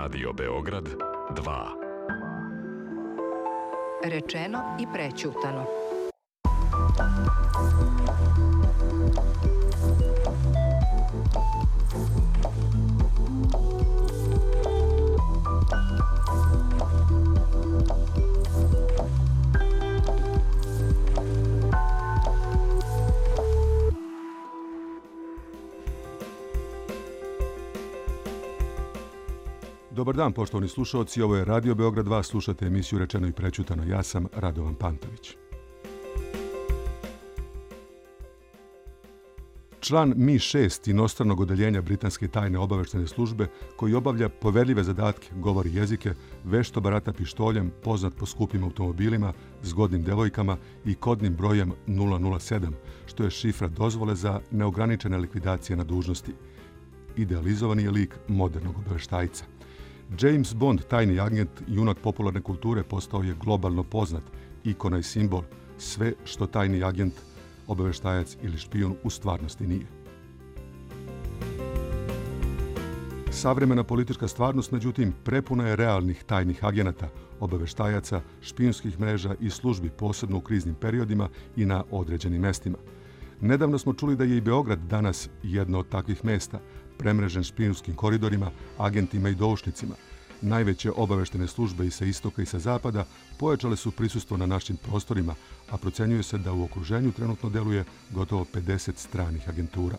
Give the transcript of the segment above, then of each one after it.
Radio Beograd 2. Rečeno i prećutano. Dobar dan, poštovani slušalci, ovo je Radio Beograd 2, slušate emisiju Rečeno i prećutano. Ja sam Radovan Pantović. Član Mi-6 inostranog odeljenja Britanske tajne obaveštajne službe, koji obavlja poverljive zadatke, govori jezike, vešto barata pištoljem, poznat po skupim automobilima, zgodnim devojkama i kodnim brojem 007, što je šifra dozvole za neograničene likvidacije na dužnosti. Idealizovani je lik modernog obaveštajca. James Bond, tajni agent, junak popularne kulture, postao je globalno poznat, ikona i simbol, sve što tajni agent, obaveštajac ili špijun u stvarnosti nije. Savremena politička stvarnost, međutim, prepuna je realnih tajnih agenata, obaveštajaca, špijunskih mreža i službi, posebno u kriznim periodima i na određenim mestima. Nedavno smo čuli da je i Beograd danas jedno od takvih mesta, premrežen špijunskim koridorima, agentima i doušnicima. Najveće obaveštene službe i sa istoka i sa zapada pojačale su prisustvo na našim prostorima, a procenjuje se da u okruženju trenutno deluje gotovo 50 stranih agentura.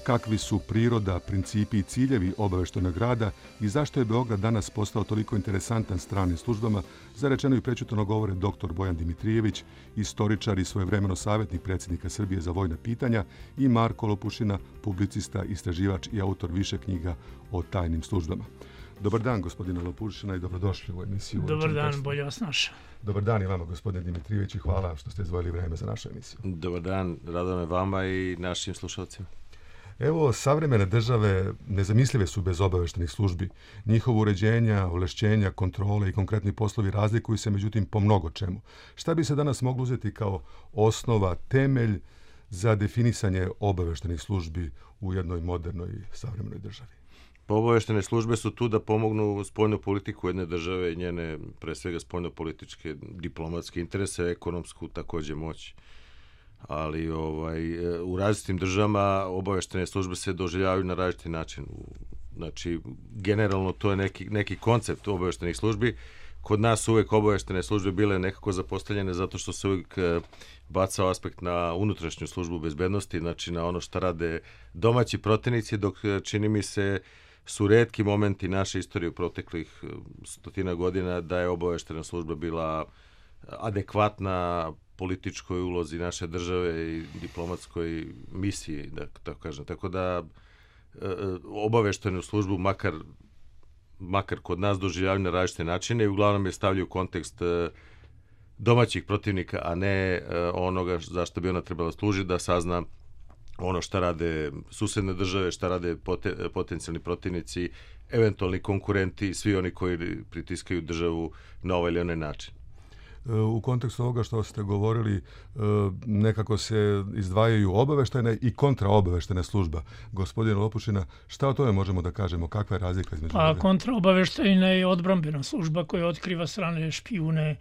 Kakvi su priroda, principi i ciljevi obaveštajnog rada i zašto je Beograd danas postao toliko interesantan stranim službama, za rečeno i prećutano govore dr. Bojan Dimitrijević, istoričar i svojevremeno savjetnik predsjednika Srbije za vojna pitanja, i Marko Lopušina, publicista, istraživač i autor više knjiga o tajnim službama. Dobar dan, gospodine Lopušina, i dobrodošli u emisiju. Dobar dan, bolje vas našao. Dobar dan i vama, gospodine Dimitrijević, i hvala što ste izdvojili vreme za našu emisiju. Dobar dan, radome vama i našim slušalcima. Evo, savremene države nezamislive su bez obaveštenih službi. Njihovo uređenja, ovlašćenja, kontrole i konkretni poslovi razlikuju se, međutim, po mnogo čemu. Šta bi se danas moglo uzeti kao osnova, temelj za definisanje obaveštenih službi u jednoj modernoj savremenoj državi? Obaveštene službe su tu da pomognu spoljnu politiku jedne države i njene, pre svega, spoljno-političke, diplomatske interese, ekonomsku takođe moć. Ali u različitim državama obaveštene službe se doživljavaju na različiti način. Znači, generalno to je neki koncept obaveštenih službi. Kod nas su uvek obaveštene službe bile nekako zapostavljene zato što se uvek bacao aspekt na unutrašnju službu bezbednosti, znači na ono što rade domaći protivnici, dok čini mi se su retki momenti naše istorije u proteklih 100 godina da je obaveštena služba bila adekvatna političkoj ulozi naše države i diplomatskoj misiji, da tako kažem. Tako da obaveštenu službu makar kod nas doživljavaju na različite načine i uglavnom je stavljaju u kontekst domaćih protivnika, a ne onoga zašto bi ona trebala služiti, da sazna ono šta rade susedne države, šta rade potencijalni protivnici, eventualni konkurenti, svi oni koji pritiskaju državu na ovaj ili onaj način. U kontekstu ovoga što ste govorili, nekako se izdvajaju obaveštajne i kontraobaveštene služba. Gospodine Lopušina, šta o tome možemo da kažemo? Kakva je razlika između toga? Kontraobaveštajna je odbrambena služba koja otkriva strane špijune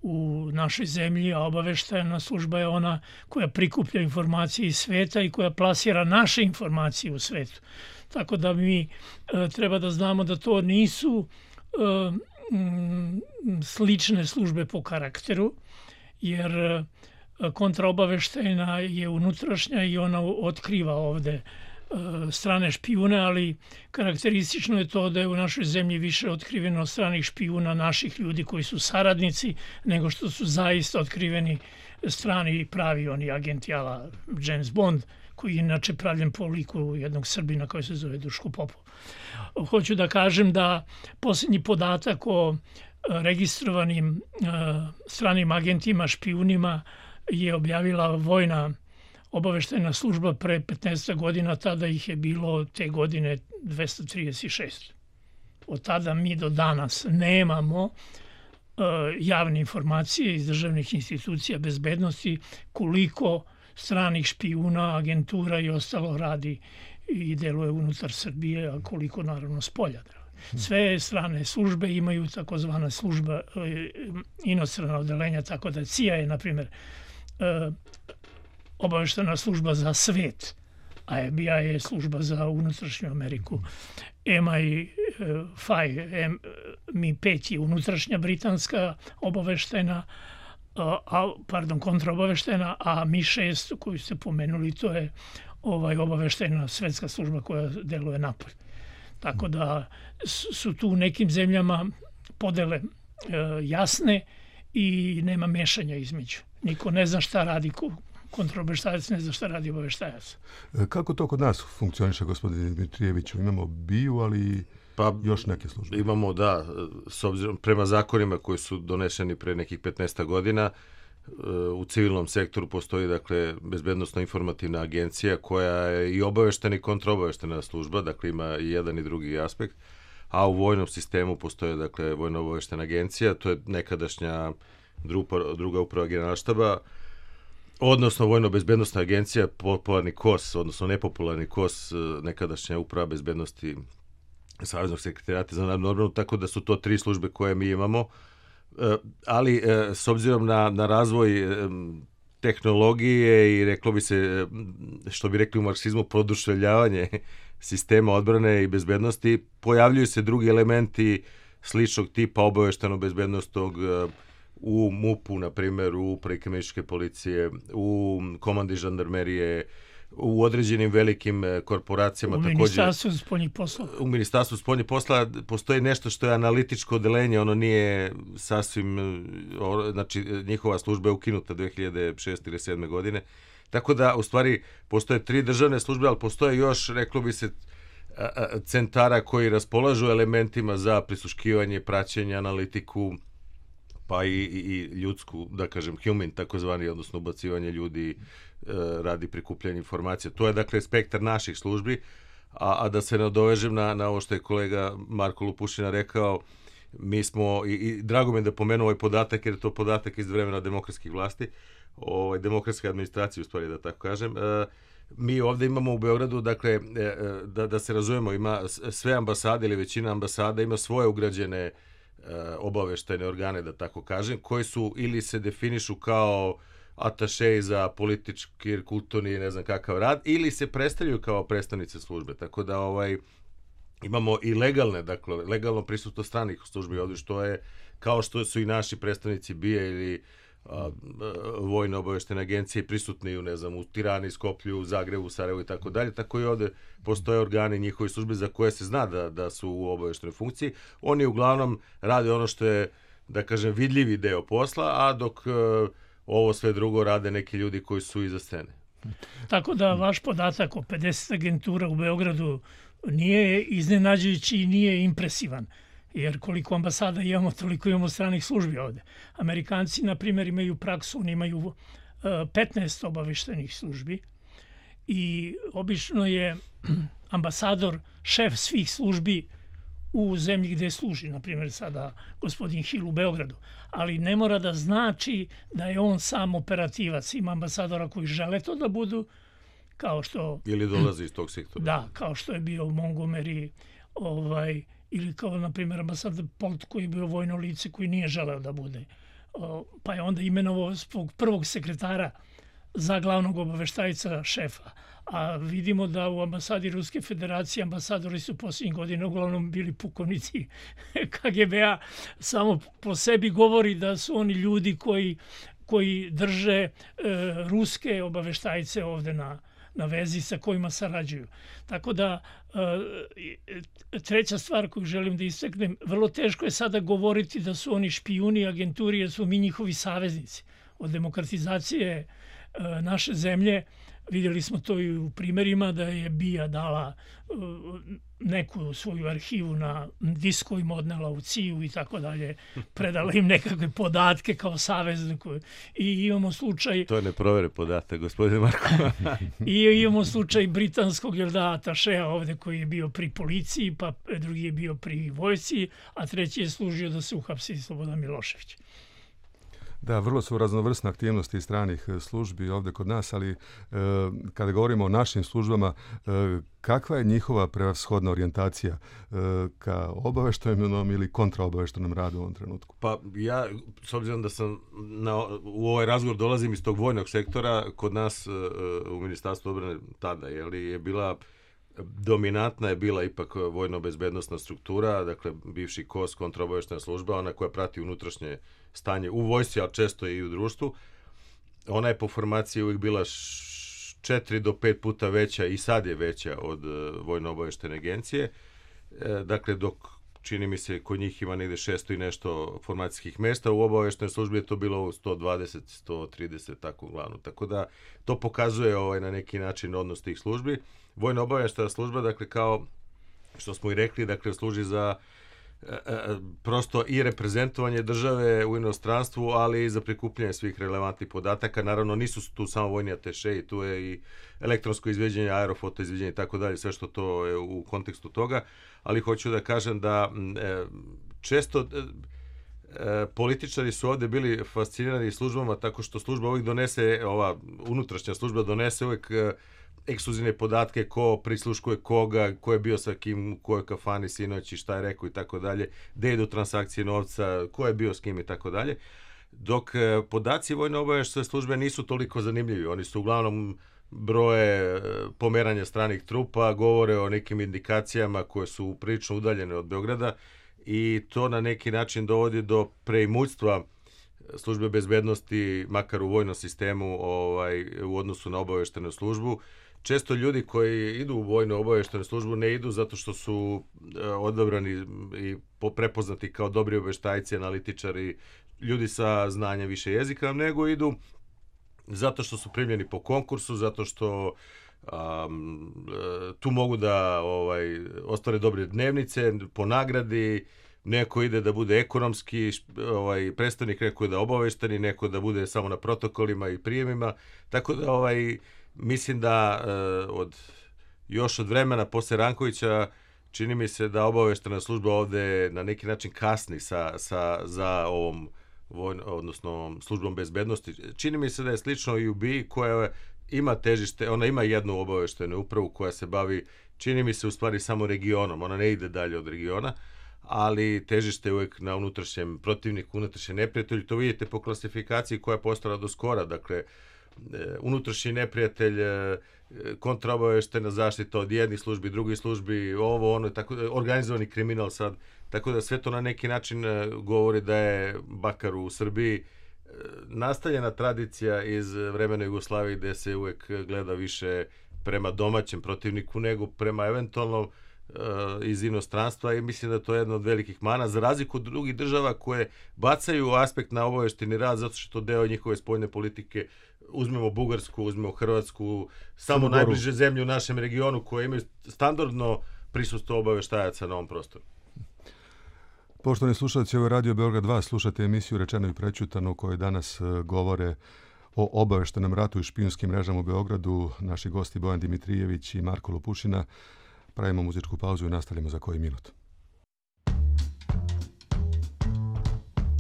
u našoj zemlji, a obaveštajna služba je ona koja prikuplja informacije iz sveta i koja plasira naše informacije u svetu. Tako da mi treba da znamo da to nisu slične službe po karakteru, jer kontraobaveštajna je unutrašnja i ona otkriva ovde strane špijune, ali karakteristično je to da je u našoj zemlji više otkriveno stranih špijuna naših ljudi koji su saradnici, nego što su zaista otkriveni strani pravi oni agenti ala James Bond, koji je inače pravljen po liku jednog Srbina koji se zove Duško Popov. Hoću da kažem da posljednji podatak o registrovanim stranim agentima, špijunima je objavila vojna obaveštajna služba pre 15 godina, tada ih je bilo te godine 236. Od tada mi do danas nemamo javne informacije iz državnih institucija bezbednosti koliko stranih špijuna, agentura i ostalo radi i deluje unutar Srbije, a koliko naravno s polja. Sve strane službe imaju takozvana služba, inostrana odeljenja, tako da CIA je, na primjer, obaveštena služba za svet, a FBI je služba za unutrašnju Ameriku. MI5 je unutrašnja britanska obaveštena, kontraobaveštena, a MI6 koju ste pomenuli, to je obaveštena svetska služba koja deluje napolje. Tako da su tu u nekim zemljama podele jasne i nema mešanja između. Niko ne zna šta radi kontraobaveštajac, ne zna šta radi obaveštajac. Kako to kod nas funkcioniše, gospodine Dimitrijeviću? Imamo BIA, ali još neke službe. Imamo, da, s obzirom prema zakonima koji su doneseni pre nekih 15 godina, u civilnom sektoru postoji, dakle, bezbednosno informativna agencija koja je i obaveštena i kontraobaveštena služba, dakle ima i jedan i drugi aspekt, a u vojnom sistemu postoje, dakle, vojno obaveštena agencija, to je nekadašnja druga uprava generalštaba, odnosno vojno-bezbednostna agencija, popularni KOS, odnosno nepopularni KOS, nekadašnja uprava bezbednosti Saveznog sekretarijata za narodnu odbranu, tako da su to 3 službe koje mi imamo, ali s obzirom na razvoj tehnologije i reklo bi se, što bi rekli u marksizmu, produševljavanje sistema odbrane i bezbednosti, pojavljuju se drugi elementi sličnog tipa obavešteno-bezbednostnog u MUP-u, na primjer, u upravi kriminalističke policije, u komandi žandarmerije, u određenim velikim korporacijama. U Ministarstvu spoljnih poslova. U Ministarstvu spoljnih poslova postoji nešto što je analitičko odeljenje, ono nije sasvim, znači njihova služba je ukinuta 2006. ili 2007. godine. Tako da, u stvari, postoje 3 državne službe, ali postoje još, reklo bi se, centara koji raspolažu elementima za prisluškivanje, praćenje, analitiku, pa i ljudsku, da kažem, human, takozvani, odnosno ubacivanje ljudi radi prikupljanja informacija. To je, dakle, spektar naših službi, a da se nadovežem na ovo što je kolega Marko Lupušina rekao, mi smo, i drago mi je da pomenu ovaj podatak, jer je to podatak iz vremena demokratskih vlasti, demokratske administracije, u stvari, da tako kažem. Mi ovde imamo u Beogradu, dakle, da se razumemo, ima sve ambasade ili većina ambasada ima svoje ugrađene obaveštajne organe, da tako kažem, koji su ili se definišu kao atašeji za politički, kulturni, ne znam kakav rad, ili se predstavljaju kao predstavnice službe. Tako da imamo i legalne, dakle, legalno prisutno stranih službi ovdje, što je, kao što su i naši predstavnici BIA ili vojne obaveštene agencije prisutni u Tirani, Skoplju, Zagrebu, Sarajevu i tako dalje, tako i ovde postoje organi njihove službe za koje se zna da su u obaveštenoj funkciji. Oni uglavnom rade ono što je, da kažem, vidljivi deo posla, a dok ovo sve drugo rade neki ljudi koji su iza scene. Tako da vaš podatak o 50 agentura u Beogradu nije iznenađujući i nije impresivan. Jer koliko ambasada imamo, toliko imamo stranih službi ovde. Amerikanci, na primjer, imaju praksu, oni imaju 15 obaveštenih službi i obično je ambasador šef svih službi u zemlji gde služi, na primjer sada gospodin Hill u Beogradu. Ali ne mora da znači da je on sam operativac. Ima ambasadora koji žele to da budu, kao što... Ili dolazi iz tog sektora. Da, kao što je bio Montgomery, ili kao, na primjer, ambasador Polt koji je bio vojno lice koji nije želeo da bude. Pa je onda imenovao svog prvog sekretara za glavnog obaveštajca šefa. A vidimo da u ambasadi Ruske federacije ambasadori su posljednjih godina uglavnom bili pukovnici KGB-a. Samo po sebi govori da su oni ljudi koji drže ruske obaveštajce ovde na vezi sa kojima sarađuju. Tako da, treća stvar koju želim da istaknem, vrlo teško je sada govoriti da su oni špijuni, agenturi, jer su mi njihovi saveznici. Od demokratizacije naše zemlje vidjeli smo to i u primjerima da je BIA dala neku svoju arhivu na diskovima, odnela u CIA i tako dalje, predala im nekakve podatke kao savezniku. I imamo slučaj... To je neprovere podatak, gospodine Marko. I imamo slučaj britanskog atašeja ovde koji je bio pri policiji, pa drugi je bio pri vojsci, a treći je služio da se uhapsi Slobodan Milošević. Da, vrlo su raznovrsne aktivnosti stranih službi ovdje kod nas, ali kada govorimo o našim službama, kakva je njihova prevashodna orijentacija ka obavještajnom ili kontraobavještajnom radu u ovom trenutku? Pa ja, s obzirom da sam u ovaj razgovor dolazim iz tog vojnog sektora, kod nas u Ministarstvu obrane tada je bila dominantna je bila ipak vojno-bezbednosna struktura, dakle bivši KOS, kontraobavještajna služba, ona koja prati unutrašnje stanje u vojsci, a često i u društvu. Ona je po formaciji uvijek bila 4 do 5 puta veća i sad je veća od vojno-obavještajne agencije. Dakle, dok čini mi se kod njih ima negdje 600 i nešto formacijskih mjesta, u obavještajnoj službi je to bilo 120, 130, tako uglavnom. Tako da to pokazuje na neki način odnos tih službi. Vojno-obavještajna služba, dakle, kao što smo i rekli, dakle, služi za prosto i reprezentovanje države u inostranstvu, ali i za prikupljanje svih relevantnih podataka. Naravno, nisu tu samo vojni ateše, tu je i elektronsko izveđenje, aerofoto izveđenje i tako dalje, sve što to je u kontekstu toga, ali hoću da kažem da često političari su ovdje bili fascinirani službama tako što služba uvijek donese, ova unutrašnja služba donese uvijek ekskluzivne podatke, ko prisluškuje koga, ko je bio sa kim, u kojoj kafani sinoć i šta je rekao i tako dalje, gde idu transakcije novca, ko je bio s kim i tako dalje. Dok podaci vojno-obavještajne službe nisu toliko zanimljivi. Oni su uglavnom broje pomeranja stranih trupa, govore o nekim indikacijama koje su prilično udaljene od Beograda i to na neki način dovodi do preimućstva službe bezbednosti, makar u vojnom sistemu, u odnosu na obavještajnu službu. Često ljudi koji idu u vojno-obavještajnu službu ne idu zato što su odabrani i prepoznati kao dobri obavještajci, analitičari, ljudi sa znanjem više jezika, nego idu zato što su primljeni po konkursu, zato što tu mogu da ostvare dobre dnevnice, po nagradi, neko ide da bude ekonomski predstavnik, neko je da obavešteni, neko da bude samo na protokolima i prijemima, tako da mislim da još od vremena posle Rankovića čini mi se da obavještajna služba ovde na neki način kasni za ovom odnosno službom bezbednosti. Čini mi se da je slično i u BIA koja ima težište, ona ima jednu obavještajnu upravu koja se bavi, čini mi se u stvari samo regionom, ona ne ide dalje od regiona, ali težište je uvijek na unutrašnjem protivniku, unutrašnjem neprijatelju. To vidite po klasifikaciji koja je postala do skora, dakle unutrašnji neprijatelj, kontraobavještajna zaštita od jednih službi, drugih službi, ovo, ono, tako, organizovani kriminal sad, tako da sve to na neki način govori da je bakar u Srbiji nastavljena tradicija iz vremena Jugoslavije gde se uvijek gleda više prema domaćem protivniku nego prema eventualno iz inostranstva i mislim da to je jedna od velikih mana, za razliku od drugih država koje bacaju aspekt na obavještajni rad zato što deo njihove spoljne politike, uzmemo Bugarsku, uzmemo Hrvatsku, samo najbliže zemlje u našem regionu koje imaju standardno prisustvo obavještajaca na ovom prostoru. Poštovani slušalci, ovo je Radio Beograd 2, slušate emisiju Rečeno i prećutano u kojoj danas govore o obavještajnom ratu i špijunskim mrežama u Beogradu naši gosti Bojan Dimitrijević i Marko Lopušina. Pravimo muzičku pauzu i nastavljamo za koji minut.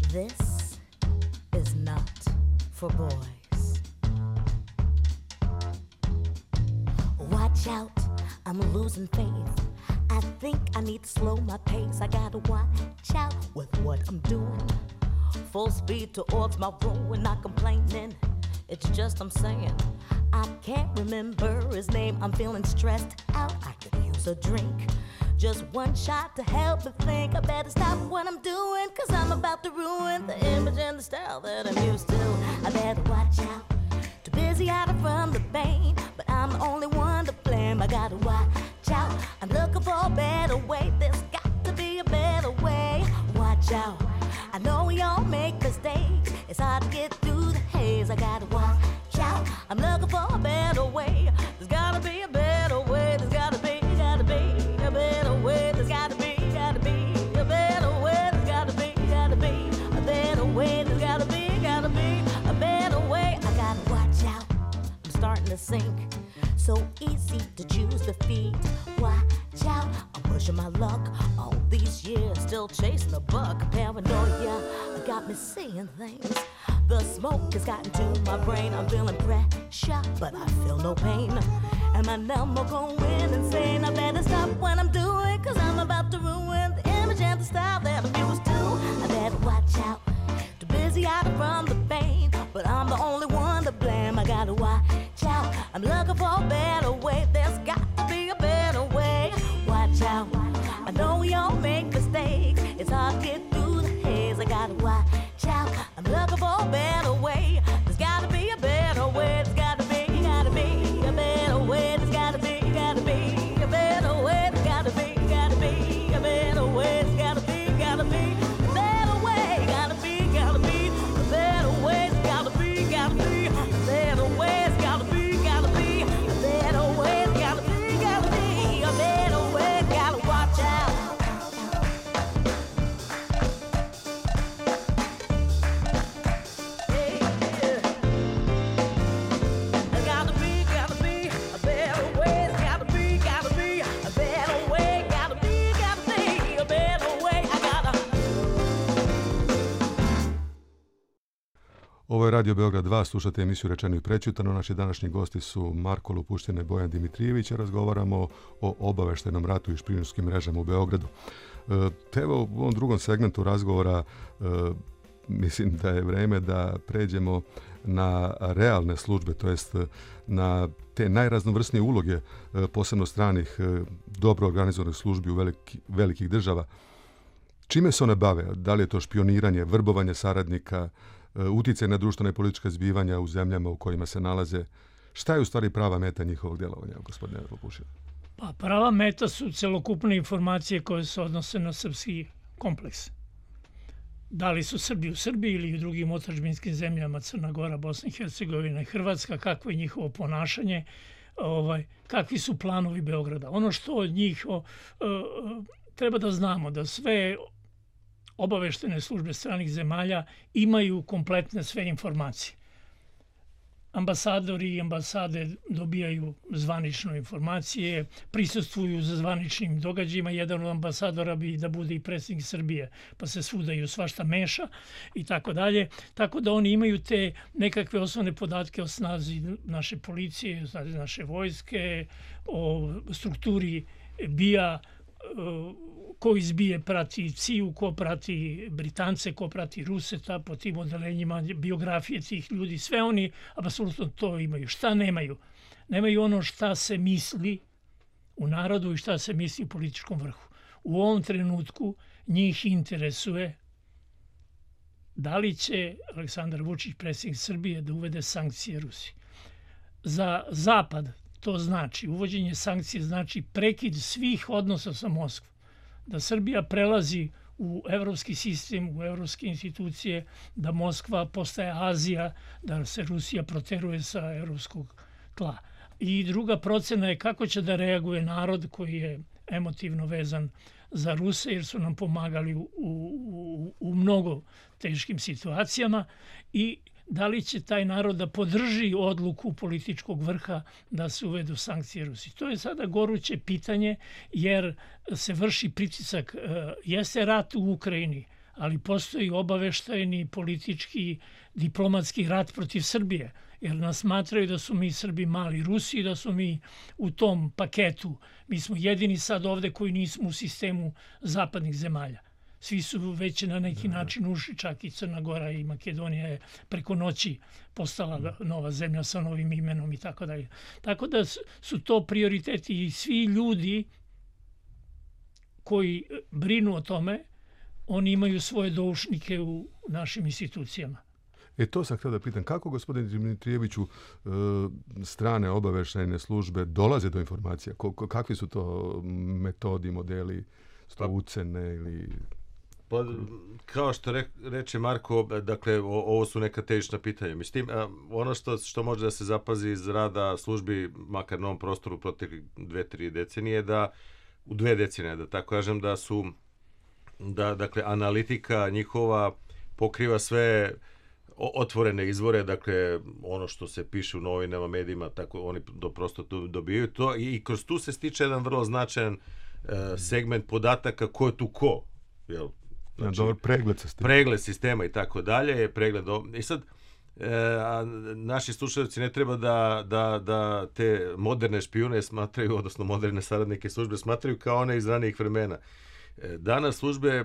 This is not for boys. Watch out, I'm losing faith. I think I need to slow my pace. I gotta watch out with what I'm doing. Full speed towards my room and not complaining. It's just I'm saying I can't remember his name. I'm feeling stressed out. I could use a drink. Just one shot to help me think. I better stop what I'm doing, 'cause I'm about to ruin the image and the style that I'm used to. I better watch out. Too busy hiding from the pain, but I'm the only one to blame. I gotta watch out. I'm looking for a better way. There's got to be a better way. Watch out. I know we all make mistakes. It's hard to get through the haze. I gotta watch out. I'm looking for a better way. There's gotta be a better way. There's gotta be a better way. There's gotta be a better way. There's gotta be a better way. There's gotta be a better way. I gotta watch out. I'm starting to sink. So easy to choose defeat. Watch out. I'm pushing my luck all these years, still chasing a buck. Paranoia. I got got me seeing things. The smoke has gotten to my brain. I'm feeling pressure, but I feel no pain. And my number going insane. I better stop what I'm doing, cause I'm about to ruin the image and the style that I'm used to. I better watch out, too busy hiding from the pain, but I'm the only one to blame. I gotta watch out, I'm looking for a better way. There's got to be a better way. Watch out, I know we all make mistakes. It's hard to get through the haze. I gotta watch out, I'm looking for a better way. There's gotta be a better way. There's gotta be a better way. There's gotta be a better way. There's gotta be a better way. There's gotta be a better way. There's gotta be a better way. Gotta be a better way. There's gotta be a better way. There's gotta be a better way. There's gotta be a better way. Gotta watch out. Ovo je Radio Beograd 2, slušate emisiju Rečeno i prećutano. Naši današnji gosti su Marko Lupuština i Bojan Dimitrijević, a razgovaramo o obaveštajnom ratu i špijunskim mrežama u Beogradu. Evo, u ovom drugom segmentu razgovora mislim da je vreme da pređemo na realne službe, to jest na te najraznovrsnije uloge, posebno stranih, dobro organizovanih službi u velikih država. Čime se one bave? Da li je to špioniranje, vrbovanje saradnika, uticaj na društvena i politička zbivanja u zemljama u kojima se nalaze? Šta je u stvari prava meta njihovog djelovanja, gospodine Lupušina? Pa prava meta su celokupne informacije koje se odnose na srpski kompleks. Da li su Srbi u Srbiji ili u drugim otadžbinskim zemljama, Crna Gora, Bosna i Hercegovina i Hrvatska, kakvo je njihovo ponašanje, kakvi su planovi Beograda. Ono što od njih treba da znamo, da sve obaveštene službe stranih zemalja imaju kompletne sve informacije. Ambasadori i ambasade dobijaju zvanično informacije, prisustvuju za zvaničnim događajima. Jedan od ambasadora bi da bude i predsjednik Srbije, pa se svuda i svašta meša i tako dalje. Tako da oni imaju te nekakve osnovne podatke o snazi naše policije, o snazi naše vojske, o strukturi BIA, ko iz BIA prati CIA, ko prati Britance, ko prati Ruse, po tim odelenjima, biografije tih ljudi, sve oni apsolutno to imaju. Šta nemaju? Nemaju ono šta se misli u narodu i šta se misli u političkom vrhu. U ovom trenutku njih interesuje da li će Aleksandar Vučić, predsjednik Srbije, da uvede sankcije Rusiji. Za Zapad to znači, uvođenje sankcije znači prekid svih odnosa sa Moskvom. Da Srbija prelazi u evropski sistem, u evropske institucije, da Moskva postaje Azija, da se Rusija proteruje sa evropskog tla. I druga procena je kako će da reaguje narod koji je emotivno vezan za Ruse, jer su nam pomagali u mnogo teškim situacijama, i da li će taj narod da podrži odluku političkog vrha da se uvedu sankcije Rusiji. To je sada goruće pitanje, jer se vrši pritisak. Jeste rat u Ukrajini, ali postoji obaveštajni, politički, diplomatski rat protiv Srbije, jer nas smatraju da su mi Srbi mali Rusi, da su mi u tom paketu. Mi smo jedini sad ovde koji nismo u sistemu zapadnih zemalja. Svi su već na neki način ušli, čak i Crna Gora i Makedonija je preko noći postala nova zemlja sa novim imenom i tako dalje. Tako da su to prioriteti i svi ljudi koji brinu o tome, oni imaju svoje doušnike u našim institucijama. To sam htio da pitam, kako, gospodine Dimitrijeviću, strane obaveštajne službe dolaze do informacija? Kakvi su to metodi, modeli, ucene ili... Pa, kao što reče Marko, dakle, ovo su neka težišna pitanja. Mislim, ono što može da se zapazi iz rada službi, makar na ovom prostoru proteklih 2-3 decenije, da u 2 decenije, da tako kažem, dakle, analitika njihova pokriva sve otvorene izvore, dakle, ono što se piše u novinama, medijima, tako oni prosto dobijaju to, i kroz tu se stiče jedan vrlo značajan segment podataka ko je tu ko, jel? Znači, dobar pregled sistema. Pregled sistema i tako dalje, i sad naši slušalci ne treba da te moderne špijune smatraju, odnosno moderne saradnike službe smatraju kao one iz ranijih vremena. Danas službe,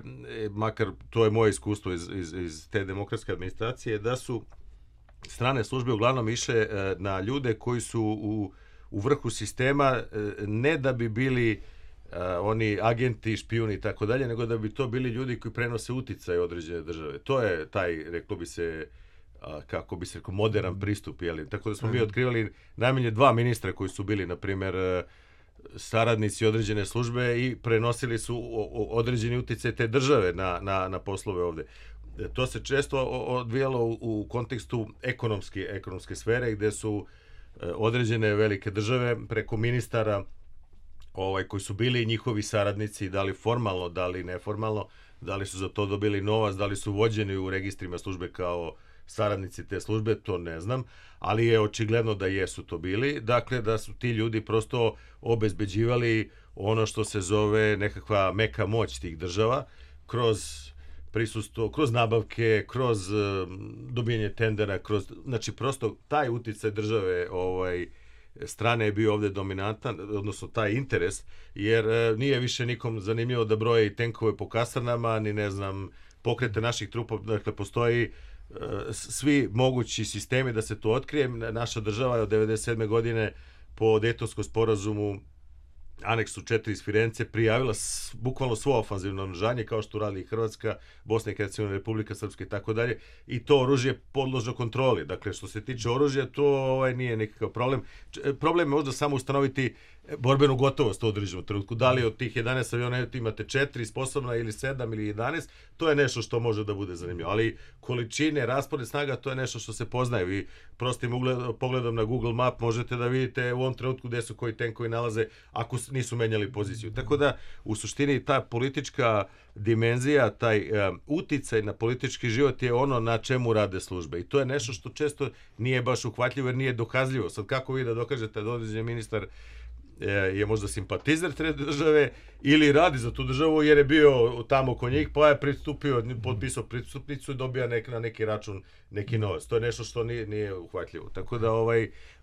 makar to je moje iskustvo iz te demokratske administracije, da su strane službe uglavnom išle na ljude koji su u vrhu sistema, ne da bi bili oni agenti, špijuni i tako dalje, nego da bi to bili ljudi koji prenose uticaj određene države. To je taj, reklo bi se, kako bi se rekao, modern pristup. Jeli? Tako da smo mi otkrivali najmanje 2 ministra koji su bili, na primjer, saradnici određene službe i prenosili su određeni uticaj te države na poslove ovde. To se često odvijalo u kontekstu ekonomske sfere, gde su određene velike države preko ministara koji su bili njihovi saradnici, da li formalno, da li neformalno, da li su za to dobili novac, da li su vođeni u registrima službe kao saradnici te službe, to ne znam, ali je očigledno da jesu to bili. Dakle, da su ti ljudi prosto obezbeđivali ono što se zove nekakva meka moć tih država, kroz prisustvo, kroz nabavke, kroz dobijanje tendera, znači prosto taj uticaj države strane je bio ovde dominantan, odnosno taj interes, jer nije više nikom zanimljivo da broji tenkove po kasarnama, ni ne znam, pokrete naših trupa, dakle postoji svi mogući sistemi da se to otkrije. Naša država je od 1997. godine po Dejtonskom sporazumu aneksu 4 iz Firence prijavila bukvalno svo ofanzivno naoružanje, kao što radi i Hrvatska, Bosna i Hercegovina, Republika Srpska i tako dalje, i to oružje je podložno kontroli. Dakle, što se tiče oružja, to nije nikakav problem. Problem je možda samo ustanoviti borbenu gotovost u određenom trenutku. Da li od tih 11 aviona imate 4 sposobna ili 7 ili 11, to je nešto što može da bude zanimljivo. Ali količine, raspored snaga, to je nešto što se poznaje. Vi prostim pogledom na Google Map možete da vidite u ovom trenutku gde su koji tenkovi nalaze ako nisu menjali poziciju. Tako da, u suštini, ta politička dimenzija, taj uticaj na politički život je ono na čemu rade službe. I to je nešto što često nije baš uhvatljivo jer nije dokazljivo. Sad, kako vi da dokažete da određeni ministar je možda simpatizer te države ili radi za tu državu jer je bio tamo kod njih, pa je pristupio, potpisao pristupnicu i dobija na neki račun neki novac. To je nešto što nije uhvatljivo. Tako da,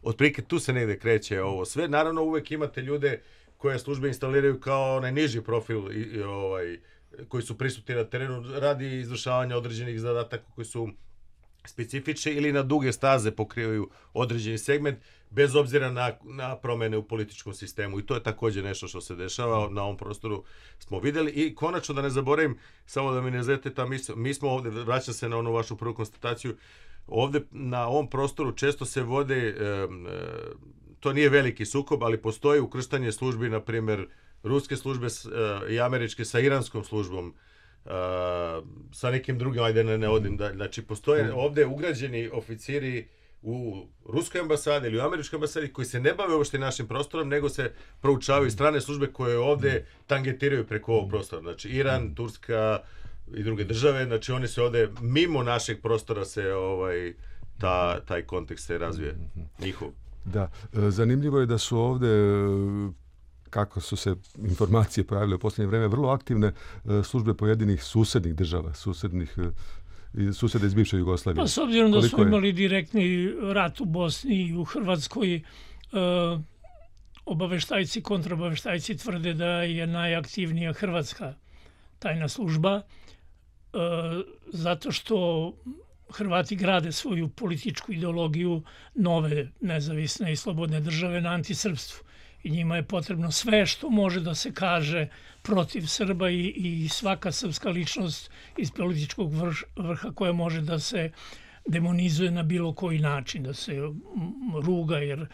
otprilike tu se negde kreće ovo sve. Naravno, uvek imate ljude koje službe instaliraju kao onaj niži profil koji su prisutni na terenu radi izvršavanja određenih zadataka koji su specifični ili na duge staze pokrivaju određeni segment, bez obzira na promene u političkom sistemu. I to je takođe nešto što se dešava na ovom prostoru, smo videli. I konačno, da ne zaboravim, samo da mi ne zete ta misla, mi smo ovde, vraćam se na onu vašu prvu konstataciju, ovde na ovom prostoru često se vode, to nije veliki sukob, ali postoji ukrštanje službi, na primjer, ruske službe i američke sa iranskom službom, sa nekim drugim, ajde ne odim, znači postoje ovde ugrađeni oficiri u ruskoj ambasadi ili u američkoj ambasadi koji se ne bave uopšte našim prostorom, nego se proučavaju strane službe koje ovde tangetiraju preko ovog prostora. Znači Iran, Turska i druge države, znači oni se ovde mimo našeg prostora se taj kontekst se razvije njihov. Da, zanimljivo je da su ovde, kako su se informacije pojavile u posljednje vreme, vrlo aktivne službe pojedinih susednih država, susede iz bivše Jugoslavije. Pa s obzirom da smo imali direktni rat u Bosni i u Hrvatskoj, obaveštajci, kontraobaveštajci tvrde da je najaktivnija hrvatska tajna služba, zato što Hrvati grade svoju političku ideologiju nove nezavisne i slobodne države na antisrpstvu. I njima je potrebno sve što može da se kaže protiv Srba i svaka srpska ličnost iz političkog vrha koja može da se demonizuje na bilo koji način, da se ruga, jer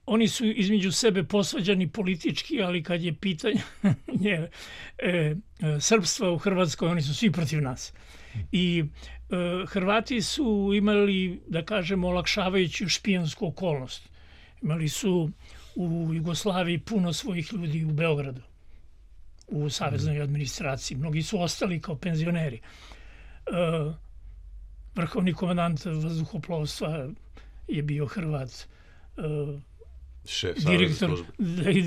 oni su između sebe posvađani politički, ali kad je pitanje srpstva u Hrvatskoj, oni su svi protiv nas. I Hrvati su imali, da kažemo, olakšavajuću špijansku okolnost. Imali su u Jugoslaviji puno svojih ljudi u Beogradu, u saveznoj administraciji. Mnogi su ostali kao penzioneri. Vrhovni komandant vazduhoplovstva je bio Hrvat.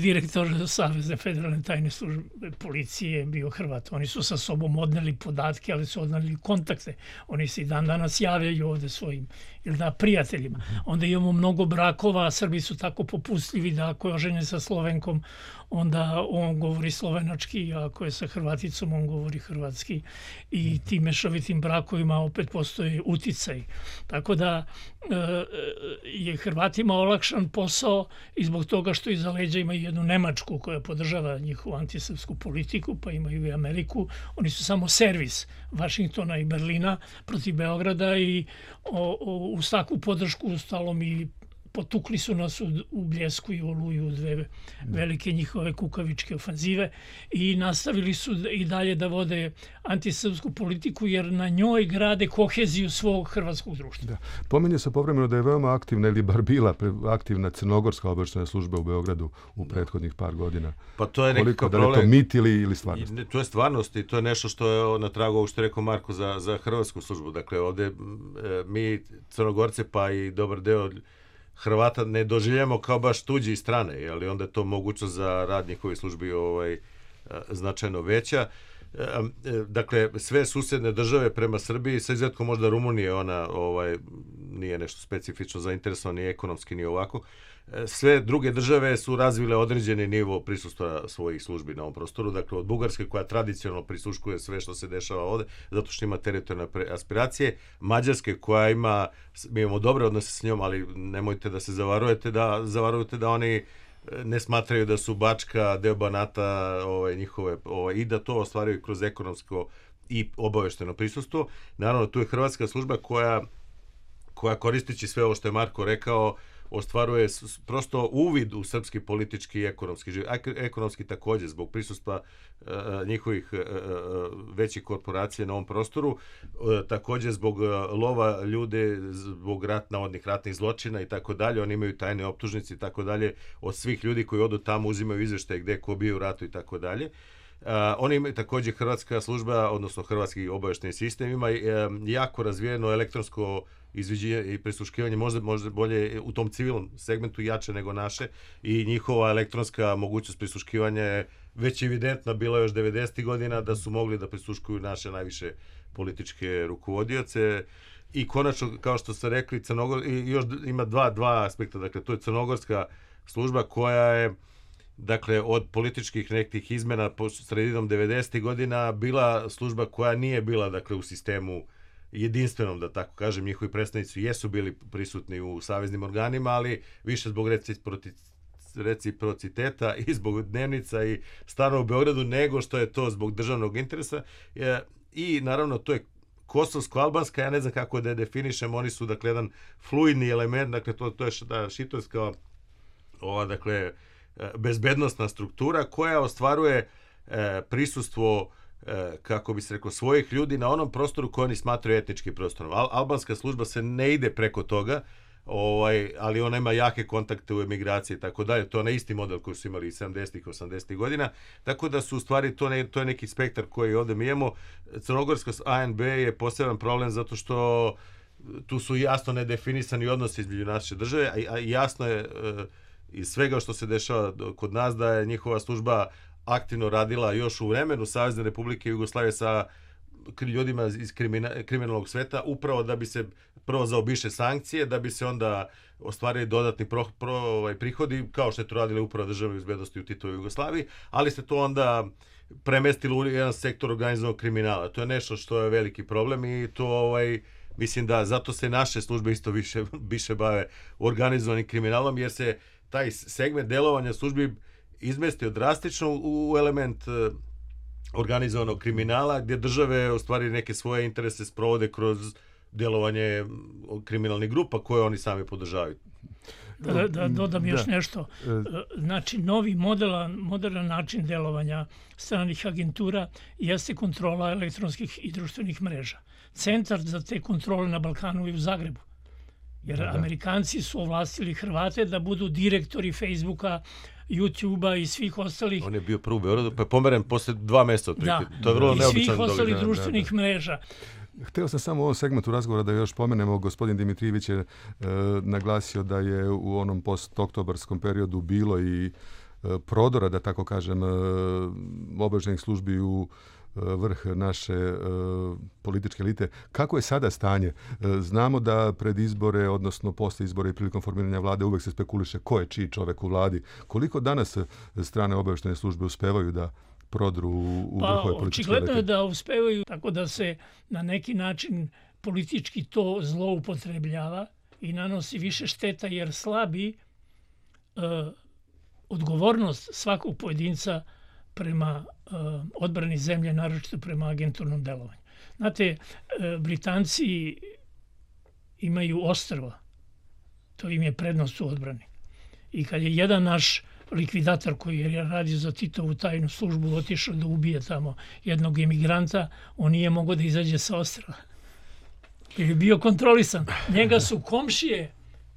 direktor Savezne federalne tajne službe policije bio Hrvat. Oni su sa sobom odneli podatke, ali su odneli kontakte. Oni se i dan danas javljaju ovde svojim prijateljima. Onda imamo mnogo brakova, Srbi su tako popustljivi da ako je oženjen sa Slovenkom, onda on govori slovenački, a ako je sa Hrvaticom, on govori hrvatski. I tim mešovitim brakovima opet postoji uticaj. Tako da je Hrvatima olakšan posao i zbog toga što iza leđa imaju jednu Nemačku koja podržava njihovu antisrpsku politiku, pa imaju i Ameriku. Oni su samo servis Vašingtona i Berlina protiv Beograda i uz takvu podršku stalom i potukli su nas u Bljesku i Oluju, dve velike njihove kukavičke ofanzive i nastavili su i dalje da vode antisrpsku politiku jer na njoj grade koheziju svog hrvatskog društva. Da. Pominje se povremeno da je veoma aktivna ili bar bila aktivna crnogorska obavještajna služba u Beogradu u prethodnih par godina. Pa to je nekakav problem. Da li je to mit ili stvarnost? To je stvarnost i to je nešto što je na tragu ovog što je rekao Marko za hrvatsku službu. Dakle, ovde mi Crnogorce pa i dobar deo Hrvata ne doživljamo kao baš tuđi strane, ali onda je to mogućnost za rad njihovih službi značajno veća. Dakle, sve susedne države prema Srbiji, sa izuzetkom možda Rumunije, ona nije nešto specifično zainteresovana ni ekonomski ni ovako. Sve druge države su razvile određeni nivo prisustva svojih službi na ovom prostoru. Dakle, od Bugarske koja tradicionalno prisluškuje sve što se dešava ovde, zato što ima teritorijalne aspiracije. Mađarske koja mi imamo dobre odnose s njom, ali nemojte da se zavarujete da oni ne smatraju da su Bačka, deo Banata njihove i da to ostvaruju kroz ekonomsko i obavešteno prisustvo. Naravno, tu je hrvatska služba koja koristeći sve ovo što je Marko rekao, ostvaruje prosto uvid u srpski politički i ekonomski život. Ekonomski takođe, zbog prisustva njihovih većih korporacija na ovom prostoru, takođe zbog lova ljude, zbog navodnih ratnih zločina i tako dalje. Oni imaju tajne optužnice i tako dalje. Od svih ljudi koji odu tamo uzimaju izveštaje gde ko bio u ratu i tako dalje. Oni imaju takođe hrvatska služba, odnosno hrvatski obavešteni sistem, ima jako razvijeno elektronsko izviđenje i prisluškivanje, možda bolje u tom civilnom segmentu jače nego naše i njihova elektronska mogućnost prisluškivanja je već evidentna bila još 90. godina da su mogli da prisluškuju naše najviše političke rukovodioce i konačno, kao što ste rekli, i još ima dva aspekta, dakle to je crnogorska služba koja je dakle, od političkih nekih izmena po sredinom 90. godina bila služba koja nije bila, dakle, u sistemu jedinstvenom, da tako kažem. Njihovi predstavnici jesu bili prisutni u saveznim organima, ali više zbog reciprociteta i zbog dnevnica i stano u Beogradu, nego što je to zbog državnog interesa. I, naravno, to je kosovsko-albanska, ja ne znam kako da je definišem, oni su, dakle, jedan fluidni element, dakle, to je šitorska, dakle, bezbednostna struktura koja ostvaruje prisustvo, kako bi se rekao, svojih ljudi na onom prostoru koji oni smatraju etničkim prostorom. Albanska služba se ne ide preko toga, ali ona ima jake kontakte u emigraciji i tako dalje. To je na isti model koji su imali i 70-ih, 80-ih godina. Tako da su u stvari, to je neki spektar koji ovde mi imamo. Crnogorska ANB je poseban problem zato što tu su jasno nedefinisani odnosi između naše države, a jasno je iz svega što se dešava kod nas da je njihova služba aktivno radila još u vremenu Savezne Republike Jugoslavije sa ljudima iz kriminalnog sveta, upravo da bi se prvo zaobišle sankcije, da bi se onda ostvarili dodatni prihodi, kao što je to radila upravo državne bezbednosti u Titovoj Jugoslaviji, ali se to onda premestilo u jedan sektor organizovanog kriminala. To je nešto što je veliki problem i to mislim da zato se naše službe isto više bave organizovanim kriminalom, jer se taj segment delovanja službi izmestio drastično u element organizovanog kriminala, gdje države u stvari neke svoje interese sprovode kroz delovanje kriminalnih grupa koje oni sami podržavaju. Da dodam još nešto. Znači, novi moderan način delovanja stranih agentura jeste kontrola elektronskih i društvenih mreža. Centar za te kontrole na Balkanu je u Zagrebu. Jer Amerikanci su ovlastili Hrvate da budu direktori Facebooka, YouTube-a i svih ostalih. On je bio prvo u Beogradu, pa je pomeren posle 2 meseca otprilike. To je vrlo neobično. I svih ostalih društvenih mreža. Htio sam samo u ovom segmentu razgovora da još pomenemo, gospodin Dimitrijević je naglasio da je u onom post-oktobarskom periodu bilo i prodora, da tako kažem, obavještajnih službi u vrh naše političke elite. Kako je sada stanje? Znamo da pred izbore, odnosno posle izbora i prilikom formiranja vlade uvek se spekuliše ko je čiji čovek u vladi. Koliko danas strane obavještajne službe uspevaju da prodru u vrhove političke elite? Očigledno je da uspevaju tako da se na neki način politički to zloupotrebljava i nanosi više šteta jer slabi odgovornost svakog pojedinca prema odbrani zemlje, naročito prema agenturnom delovanju. Znate, Britanci imaju ostrva. To im je prednost u odbrani. I kad je jedan naš likvidator koji je radio za Titovu tajnu službu otišao da ubije tamo jednog emigranta, on nije mogao da izađe sa ostrva. Jer je bio kontrolisan. Njega su komšije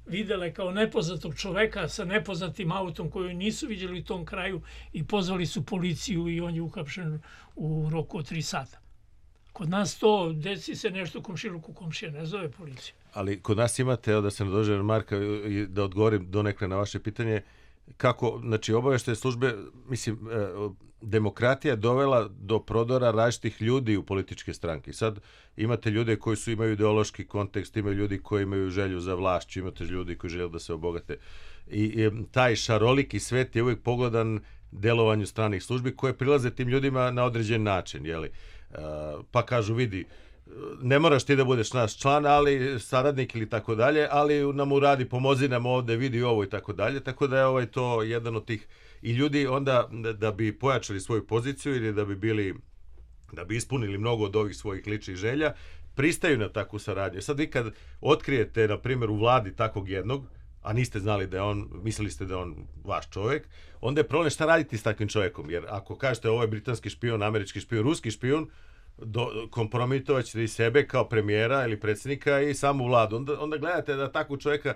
videle kao nepoznatog čoveka sa nepoznatim autom koju nisu vidjeli u tom kraju i pozvali su policiju i on je uhapšen u roku od 3 sata. Kod nas to, desi se nešto u komšiluku, komšija ne zove policiju. Ali kod nas imate, evo da se nadođe Marka i da odgovorim donekle na vaše pitanje, kako, znači, obavještajne službe, mislim, demokratija je dovela do prodora različitih ljudi u političke stranke. Sad imate ljude koji imaju ideološki kontekst, imaju ljudi koji imaju želju za vlašću, imate ljudi koji žele da se obogate. I taj šaroliki svet je uvijek pogledan delovanju stranih službi koje prilaze tim ljudima na određen način. Jeli? Pa kažu, vidi, ne moraš ti da budeš naš član, ali saradnik ili tako dalje, ali nam uradi, pomozi nam ovde, vidi ovo i tako dalje. Tako da je to jedan od tih. I ljudi onda da bi pojačali svoju poziciju ili da bi ispunili mnogo od ovih svojih ličnih želja, pristaju na takvu saradnju. Sad vi kad otkrijete, na primjer, u vladi takvog jednog, a niste znali da je on, mislili ste da je on vaš čovjek, onda je problem šta raditi s takvim čovjekom. Jer ako kažete ovo je britanski špijun, američki špijun, ruski špijun, kompromitovat ćete i sebe kao premijera ili predsjednika i samu vladu. Onda gledate da takvog čovjeka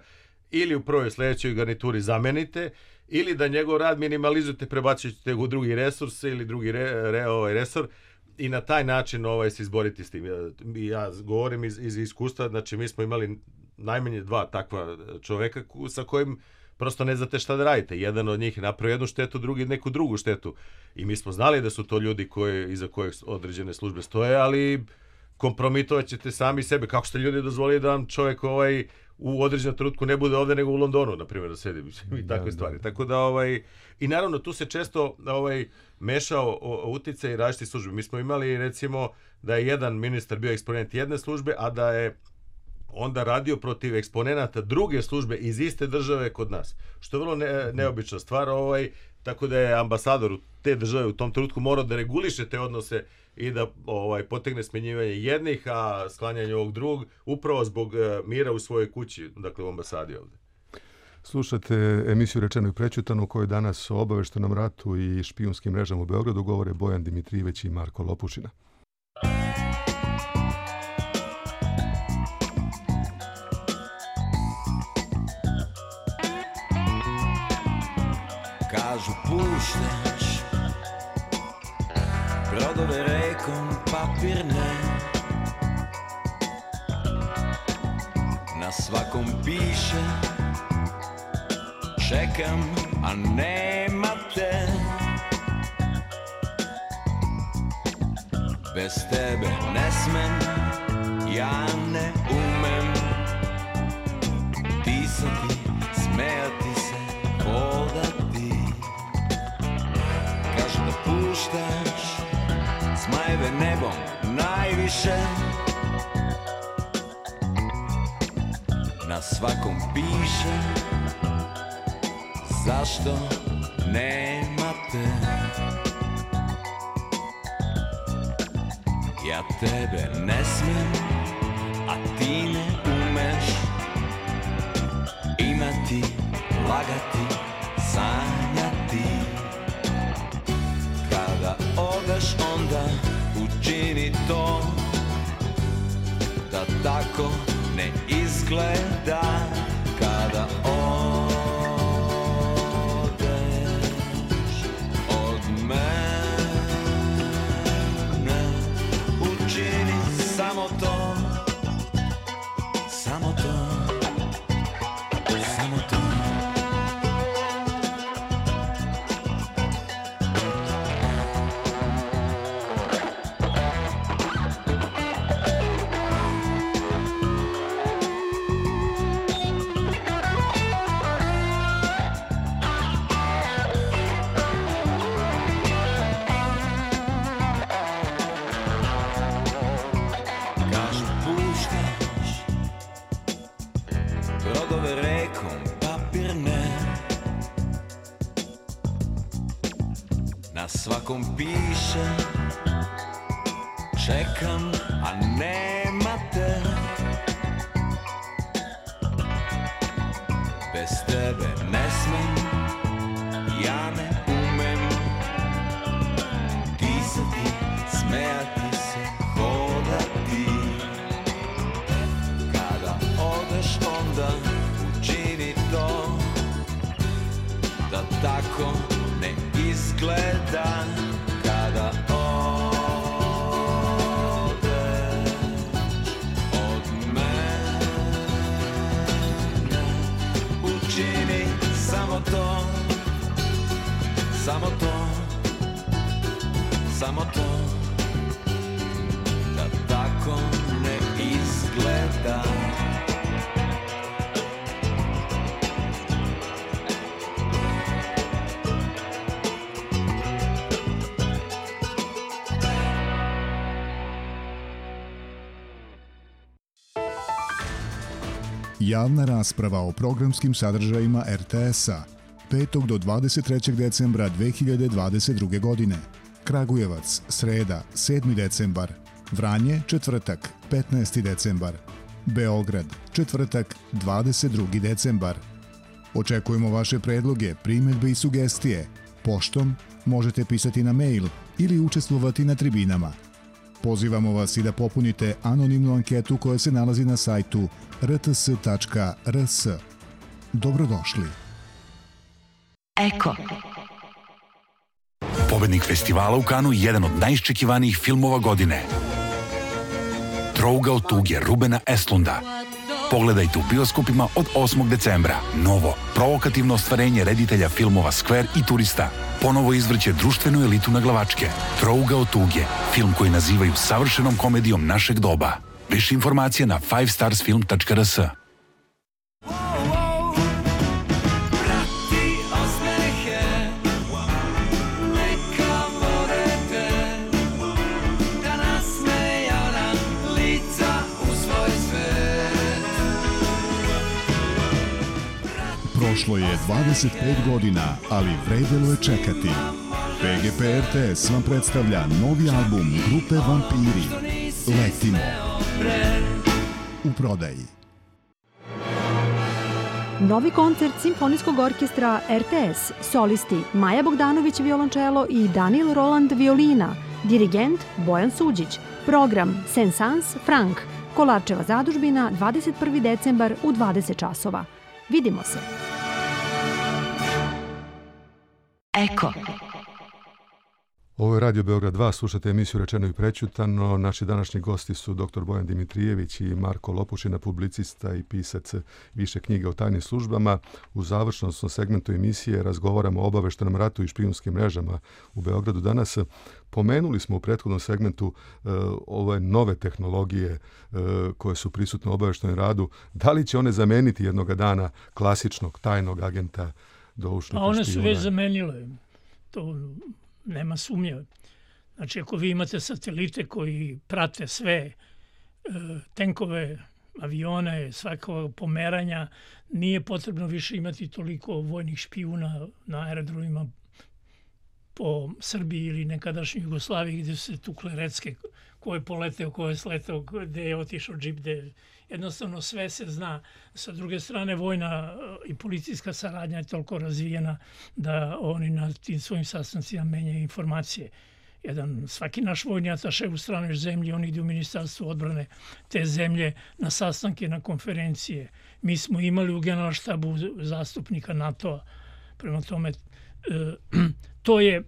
ili u prvoj sljedećoj garnituri zamenite, ili da njegov rad minimalizujete, prebaćujete u drugi resurs ili drugi resor i na taj način se izboriti s tim. Ja govorim iz iskustva, znači mi smo imali najmanje 2 takva čoveka sa kojim prosto ne znate šta da radite. Jedan od njih je napravio jednu štetu, drugi neku drugu štetu. I mi smo znali da su to ljudi iza kojih određene službe stoje, ali kompromitovat ćete sami sebe. Kako ste ljudi dozvolili da vam čovjek u određenom trenutku ne bude ovde nego u Londonu, na primjer, da sedi i takve stvari. Tako da i naravno tu se često mešao uticaj i različitih službi. Mi smo imali recimo da je jedan ministar bio eksponent jedne službe, a da je onda radio protiv eksponenata druge službe iz iste države kod nas. Što je vrlo neobična stvar, tako da je ambasador te države u tom trenutku morao da reguliše te odnose i da potegne smenjivanje jednih, a sklanjanje ovog drugog, upravo zbog mira u svojoj kući, dakle u ambasadi ovde. Slušate emisiju Rečeno i prećutano u kojoj danas o obavještajnom ratu i špijunskim mrežama u Beogradu govore Bojan Dimitrijević i Marko Lopušina. Kažu puštaš brodove rekom papirne, na svakom piše čekam, a nema te. Bez tebe ne smem, ja ne umem pisati, smejati se, hodati. Kažu da puštaš zmajeve nebom najviše, na svakom piše zašto nema te. Ja tebe ne smijem, a ti ne umeš imati, lagati, sanjati. Kada odeš onda učini to da tako ne izgleda. Kada odeš od mene učini samo to svakom piše, čekam, a nema te. Bez tebe ne smem, ja ne umem disati, smejati se, hodati. Kada odeš onda učini to, da tako ne izgleda. Kada odeš od mene, učini samo to, samo to, samo to, da tako ne izgleda. Javna rasprava o programskim sadržajima RTS-a 5. do 23. decembra 2022. godine. Kragujevac, sreda, 7. decembar. Vranje, četvrtak, 15. decembar. Beograd, četvrtak, 22. decembar. Očekujemo vaše predloge, primjedbe i sugestije. Poštom možete pisati na mail ili učestvovati na tribinama. Pozivamo vas i da popunite anonimnu anketu koja se nalazi na sajtu rts.rs. Dobrodošli. Eko. Pobednik festivala u Kanu je jedan od najiščekivanijih filmova godine. Trouga od tuge Rubena Östlunda. Pogledajte u bioskopima od 8. decembra. Novo, provokativno ostvarenje reditelja filmova Skver i Turista. Ponovo izvrće društvenu elitu na glavačke. Trouga od tuge, film koji nazivaju savršenom komedijom našeg doba. Više informacija na 5starsfilm.rs. Prošlo je 25 godina, ali vredelo je čekati. PGP RTS vam predstavlja novi album grupe Vampiri. Letimo. U prodaji. Novi koncert Simfonijskog orkestra RTS, solisti Maja Bogdanović violončelo i Daniel Roland violina, dirigent Bojan Suđić, program Sensans Frank, Kolarčeva zadužbina, 21. decembar u 20 časova. Vidimo se. Eko. Ovo je Radio Beograd 2, slušate emisiju Rečeno i prećutano. Naši današnji gosti su dr. Bojan Dimitrijević i Marko Lopušina, publicista i pisac više knjiga o tajnim službama. U završnom segmentu emisije razgovaramo o obaveštenom ratu i špijunskim mrežama u Beogradu danas. Pomenuli smo u prethodnom segmentu ove nove tehnologije koje su prisutne u obaveštenom radu. Da li će one zameniti jednoga dana klasičnog tajnog agenta doušnog špijuna? One su već zamenile. To nema sumnje. Znači, ako vi imate satelite koji prate sve tenkove, avione, svakog pomeranja, nije potrebno više imati toliko vojnih špijuna na aerodromima po Srbiji ili nekadašnjoj Jugoslaviji gdje su se tukle recke, ko je poleteo, ko je sletao, gdje je otišao džip, gdje jednostavno sve se zna. Sa druge strane, vojna i policijska saradnja je toliko razvijena da oni na tim svojim sastancima menjaju informacije. Svaki naš vojni ataše u stranoj zemlji, on ide u Ministarstvo odbrane te zemlje na sastanke, na konferencije. Mi smo imali u Generalštabu zastupnika NATO-a. Prema tome, to je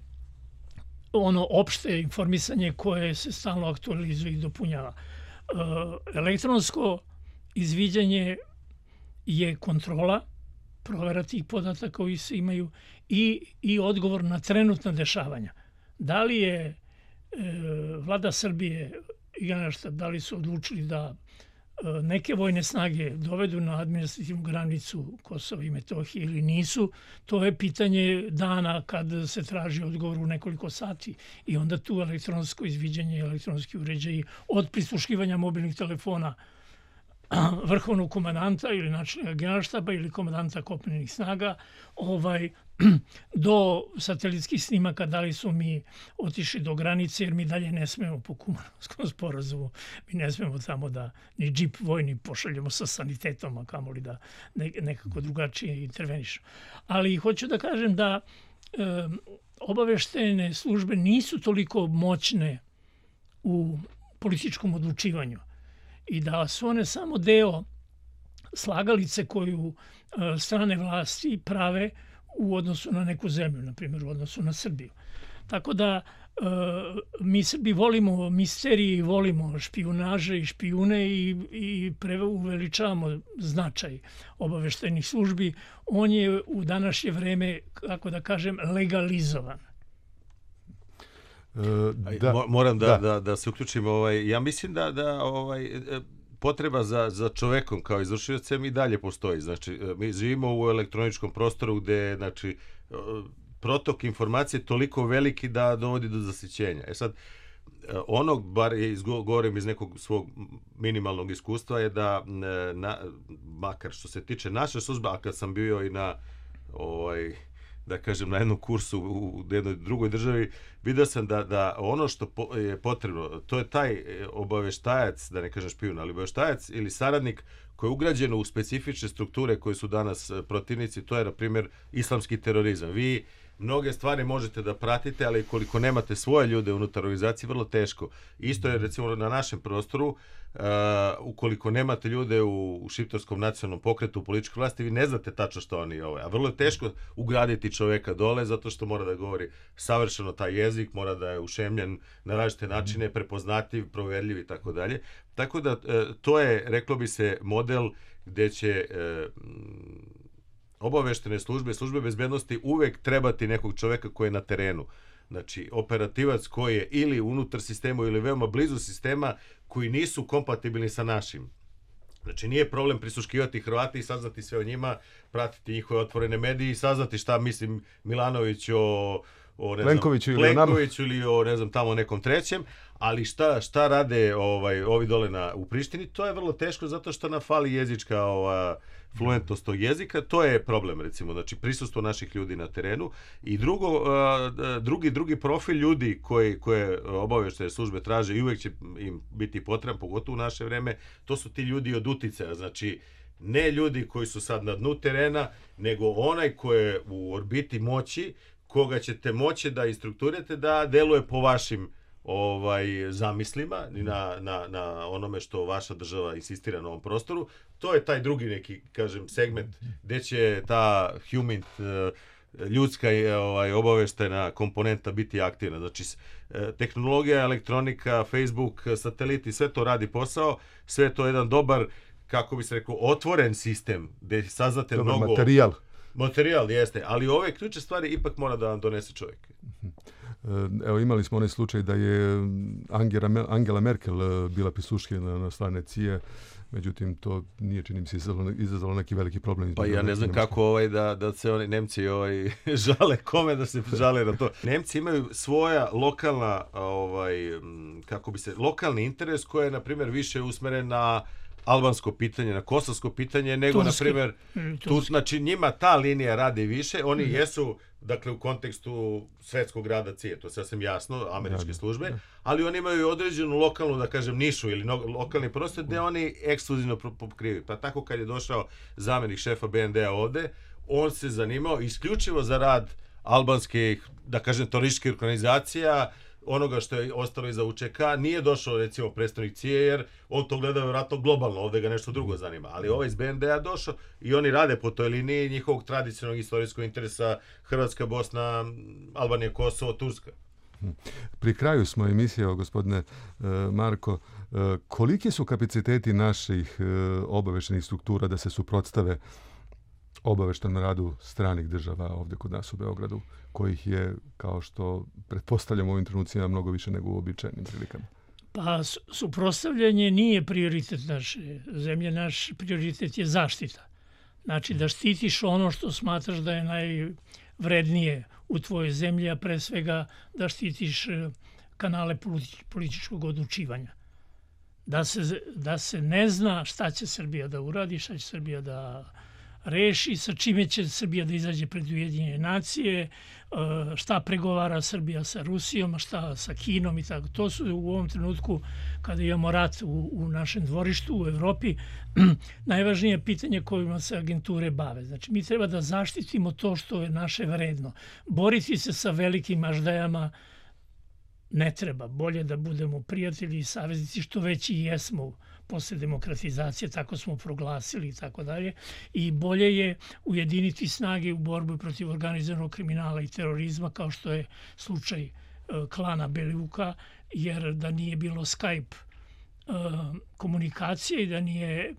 ono opšte informisanje koje se stalno aktualizuje i dopunjava. Elektronsko izviđanje je kontrola, provera tih podataka koji se imaju i odgovor na trenutna dešavanja. Da li je vlada Srbije i Generalštab, da li su odlučili da neke vojne snage dovedu na administrativnu granicu Kosova i Metohije ili nisu, to je pitanje dana kad se traži odgovor u nekoliko sati. I onda tu elektronsko izviđanje, elektronski uređaji od prisluškivanja mobilnih telefona vrhovnog komandanta ili načelnika generalštaba ili komandanta kopnenih snaga, do satelitskih snimaka da li su mi otišli do granice, jer mi dalje ne smemo po Kumanovskom sporazumu, mi ne smemo tamo da ni džip vojni pošaljemo sa sanitetom, a kamoli da nekako drugačije intervenišemo. Ali hoću da kažem da obaveštene službe nisu toliko moćne u političkom odlučivanju i da su one samo deo slagalice koju strane vlasti prave u odnosu na neku zemlju, na primjer u odnosu na Srbiju. Tako da mi Srbi volimo misterije, volimo špijunaže i špijune i uveličavamo značaj obaveštajnih službi. On je u današnje vreme, kako da kažem, legalizovan. Moram da se uključim. Ja mislim da potreba za čovekom kao izvršiocem i dalje postoji. Znači, mi živimo u elektroničkom prostoru gde, znači, protok informacije je toliko veliki da dovodi do zasićenja. Sad, bar govorim iz nekog svog minimalnog iskustva, je da, makar što se tiče naše službe, a kad sam bio i na, da kažem, na jednom kursu u jednoj drugoj državi, vidio sam da ono što je potrebno, to je taj obaveštajac, da ne kažem špijun, ali obaveštajac ili saradnik koji je ugrađen u specifične strukture koje su danas protivnici, to je, na primjer, islamski terorizam. Vi mnoge stvari možete da pratite, ali koliko nemate svoje ljude unutar organizacije, vrlo teško. Isto je, recimo, na našem prostoru, ukoliko nemate ljude u šiptarskom nacionalnom pokretu, u političkoj vlasti, vi ne znate tačno što oni a vrlo je teško ugraditi čoveka dole, zato što mora da govori savršeno taj jezik, mora da je ušemljen na različite načine, prepoznatljiv, proverljiv i tako dalje. Tako da to je, reklo bi se, model gde će obaveštene službe bezbednosti uvek trebati nekog čoveka koji je na terenu. Znači, operativac koji je ili unutar sistema ili veoma blizu sistema, koji nisu kompatibilni sa našim. Znači, nije problem prisluškivati Hrvati i saznati sve o njima, pratiti njihove otvorene medije i saznati šta mislim Milanović o Plenkoviću ili o ne znam tamo nekom trećem, ali šta rade ovi dole u Prištini, to je vrlo teško zato što nam fali jezička fluentnost tog jezika, to je problem, recimo, znači prisustvo naših ljudi na terenu. I drugi profil ljudi koje obaveštene službe traže i uvek će im biti potreban, pogotovo u naše vreme, to su ti ljudi od uticaja, znači ne ljudi koji su sad na dnu terena, nego onaj koji je u orbiti moći, koga ćete moći da instrukturate da deluje po vašim zamislima i na onome što vaša država insistira na ovom prostoru. To je taj drugi neki, kažem, segment gde će ta human, ljudska obaveštajna komponenta biti aktivna. Znači, tehnologija, elektronika, Facebook, sateliti, sve to radi posao, sve to je jedan dobar, kako bi se rekao, otvoren sistem gde saznate mnogo... Materijal jeste, ali ove ključne stvari ipak mora da vam donese čovjek. Evo, imali smo onaj slučaj da je Angela Merkel bila prisluškivana na strane CIA, međutim, to nije, čini mi se, izazvalo neki veliki problem. Pa ja ne znam kako da se oni Nemci žale, kome da se žale na to. Nemci imaju svoja lokalna, lokalni interes koji je, na primjer, više usmeren na albansko pitanje, na kosovsko pitanje, nego, na primjer, znači njima ta linija radi više, oni jesu, dakle, u kontekstu svetskog rada CIA, to je sasvim jasno, američke službe, ali oni imaju određenu lokalnu, da kažem, nišu ili lokalni prostor gde oni ekskluzivno pokrivaju. Pa tako kad je došao zamjenik šefa BND-a ovde, on se zanimao isključivo za rad albanskih, da kažem, terorističkih organizacija, onoga što je ostalo iza UČK, nije došao, recimo, predstavnik CIA, jer on to gleda vjerojatno globalno, ovdje ga nešto drugo zanima. Ali ovaj iz BND-a došao i oni rade po toj liniji njihovog tradicionalnog istorijskog interesa Hrvatska, Bosna, Albanija, Kosovo, Turska. Pri kraju smo emisije, gospodine Marko, koliki su kapaciteti naših obaveštenih struktura da se suprotstave obaveštenom radu stranih država ovdje kod nas u Beogradu, kojih je, kao što pretpostavljamo u ovim trenucima, mnogo više nego u uobičajenim prilikama? Pa, suprotstavljanje nije prioritet naše zemlje. Naš prioritet je zaštita. Znači, da štitiš ono što smatraš da je najvrednije u tvojoj zemlji, a pre svega da štitiš kanale političkog odlučivanja. da se ne zna šta će Srbija da uradi, šta će Srbija da reši, sa čime će Srbija da izađe pred Ujedinjene nacije, šta pregovara Srbija sa Rusijom, šta sa Kinom i tako. To su u ovom trenutku, kada imamo rat u našem dvorištu u Evropi, najvažnije pitanje kojima se agenture bave. Znači, mi treba da zaštitimo to što je naše vredno. Boriti se sa velikim aždajama ne treba. Bolje da budemo prijatelji i saveznici, što već i jesmo posle demokratizacije, tako smo proglasili i tako dalje. I bolje je ujediniti snage u borbu protiv organizovanog kriminala i terorizma, kao što je slučaj klana Belivuka, jer da nije bilo Skype komunikacije i da nije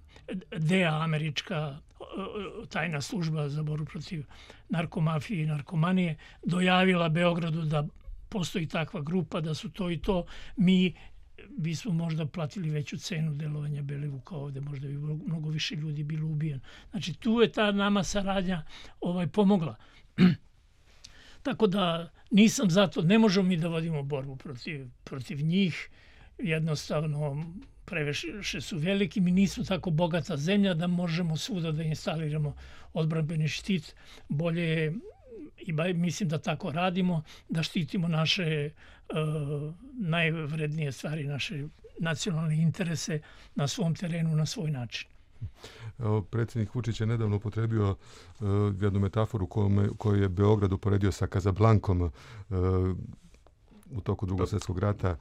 DEA, američka tajna služba za borbu protiv narkomafije i narkomanije, dojavila Beogradu da postoji takva grupa, da su to i to, mi bismo možda platili veću cenu delovanja Belivuka ovde, možda bi mnogo više ljudi bilo ubijen. Znači, tu je ta nama saradnja pomogla. Tako da nisam zato, ne možemo mi da vodimo borbu protiv njih, jednostavno previše su veliki, mi nismo tako bogata zemlja da možemo svuda da instaliramo odbrambeni štit. Bolje je, i mislim da tako radimo, da štitimo naše najvrednije stvari, naše nacionalne interese na svom terenu, na svoj način. Predsjednik Vučić je nedavno upotrebio jednu metaforu koju je Beograd uporedio sa Kazablankom u toku Drugog svjetskog rata.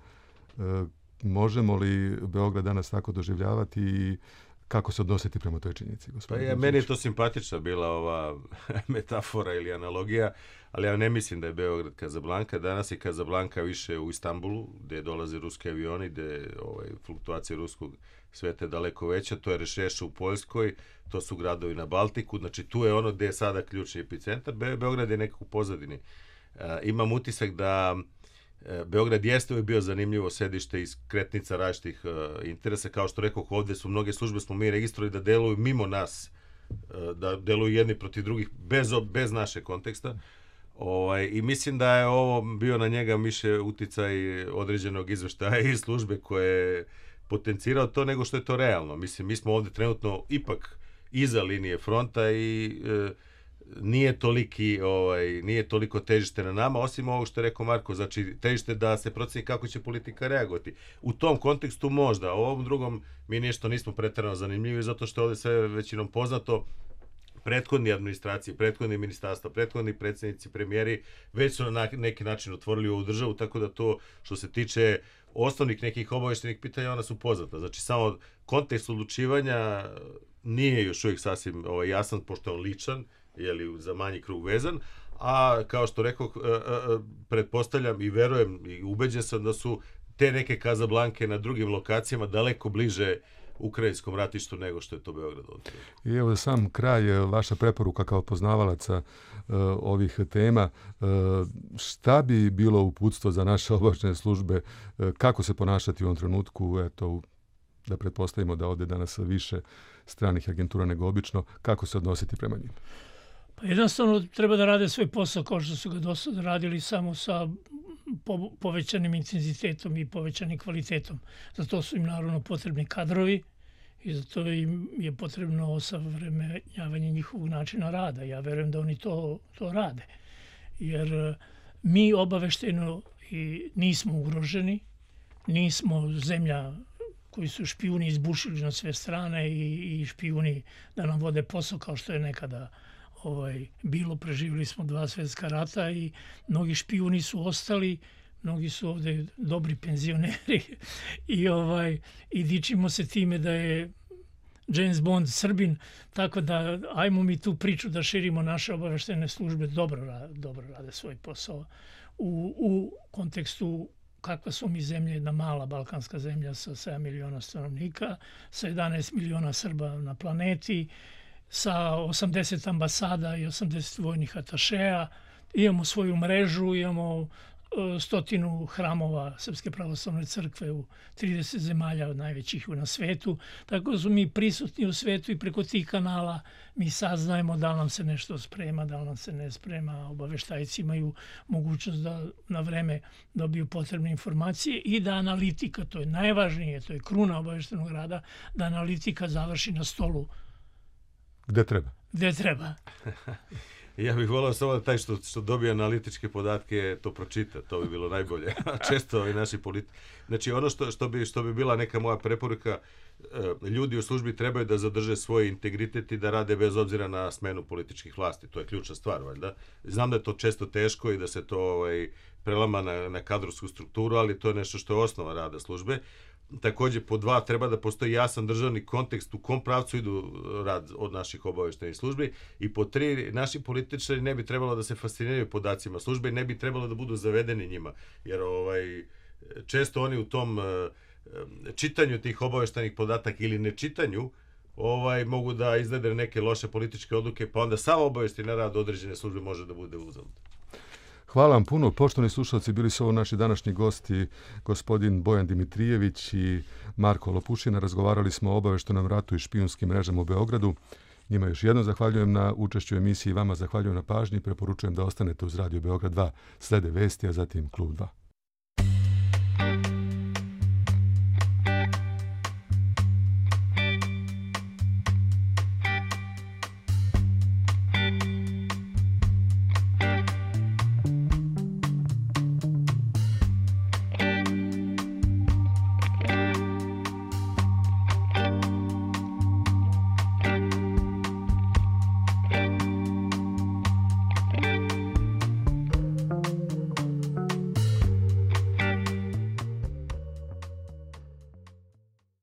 Možemo li Beograd danas tako doživljavati i kako se odnositi prema toj činjenici? Meni je to simpatična bila ova metafora ili analogija, ali ja ne mislim da je Beograd Kazablanka. Danas je Kazablanka više u Istanbulu, gdje dolaze ruski avioni, gdje fluktuacija ruskog sveta je daleko veća. To je Rešeša u Poljskoj, to su gradovi na Baltiku. Znači, tu je ono gdje je sada ključni epicentar. Beograd je nekako u pozadini. Imam utisak da Beograd jeste uvijek bio zanimljivo sedište iz kretnica različitih interesa. Kao što rekao, ovdje su mnoge službe, smo mi registrovali da deluju mimo nas, da deluju jedni protiv drugih, bez naše konteksta. I mislim da je ovo bio na njega više uticaj određenog izveštaja i službe koje je potencirao to nego što je to realno. Mislim, mi smo ovdje trenutno ipak iza linije fronta i nije toliko težište na nama, osim ovog što je rekao Marko, znači težište da se proceni kako će politika reagovati. U tom kontekstu možda, u ovom drugom mi nešto nismo pretjerano zanimljivi, zato što je ovdje sve većinom poznato. Prethodni administracije, prethodni ministarstva, prethodni predsjednici, premijeri već su na neki način otvorili ovu državu, tako da to što se tiče osnovnih nekih obavještenih pitanja, ona su poznata. Znači, samo kontekst odlučivanja nije još uvijek sasvim jasan, pošto je on ličan, za manji krug vezan, a kao što rekao, pretpostavljam i verujem i ubeđen sam da su te neke Kazablanke na drugim lokacijama daleko bliže ukrajinskom ratištu nego što je to Beograd. I evo sam kraj, vaša preporuka kao poznavalaca ovih tema, šta bi bilo uputstvo za naše obavještajne službe, kako se ponašati u ovom trenutku, da pretpostavimo da ovdje danas više stranih agentura nego obično, kako se odnositi prema njima? Pa jednostavno treba da rade svoj posao kao što su ga do sada radili, samo sa povećanim intenzitetom i povećanim kvalitetom. Zato su im naravno potrebni kadrovi i zato im je potrebno osavremenjavanje njihovog načina rada. Ja verujem da oni to rade. Jer mi obaveštajno nismo ugroženi, nismo zemlja koji su špijuni izbušili na sve strane i špijuni da nam vode posao kao što je nekada bilo. Preživjeli smo 2 svjetska rata i mnogi špijuni su ostali, mnogi su ovdje dobri penzioneri i dičimo se time da je James Bond Srbin, tako da ajmo mi tu priču da širimo. Naše obavještajne službe dobro rade svoj posao u kontekstu kakva smo mi zemlja, jedna mala balkanska zemlja sa 7 miliona stanovnika, sa 11 miliona Srba na planeti, sa 80 ambasada i 80 vojnih atašeja. Imamo svoju mrežu, imamo 100 hramova Srpske pravoslavne crkve u 30 zemalja najvećih na svetu. Tako da su mi prisutni u svetu i preko tih kanala mi saznajemo da li nam se nešto sprema, da li nam se ne sprema. Obaveštajci imaju mogućnost da na vreme dobiju potrebne informacije i da analitika, to je najvažnije, to je kruna obaveštajnog rada, da analitika završi na stolu. Gde treba? Gde treba. Ja bih volao samo da taj što dobije analitičke podatke to pročita, to bi bilo najbolje. Često ovi naši Znači ono što bi bila neka moja preporuka, ljudi u službi trebaju da zadrže svoj integritet i da rade bez obzira na smenu političkih vlasti. To je ključna stvar, valjda. Znam da je to često teško i da se to prelama na kadrovsku strukturu, ali to je nešto što je osnova rada službe. Takođe, po 2, treba da postoji jasan državni kontekst u kom pravcu idu rad od naših obaveštajnih službi i po 3, naši političari ne bi trebalo da se fasciniraju podacima službe i ne bi trebalo da budu zavedeni njima, jer često oni u tom čitanju tih obaveštajnih podataka ili nečitanju mogu da izvede neke loše političke odluke, pa onda samo obaveštajni rad određene službe može da bude uzalud. Hvala vam puno. Poštovani slušalci, bili su ovo naši današnji gosti, gospodin Bojan Dimitrijević i Marko Lopušina. Razgovarali smo o obaveštajnom ratu i špijunskim mrežama u Beogradu. Njima još jednom zahvaljujem na učešću u emisiji, vama zahvaljujem na pažnji i preporučujem da ostanete uz Radio Beograd 2. Slede vesti, a zatim Klub 2.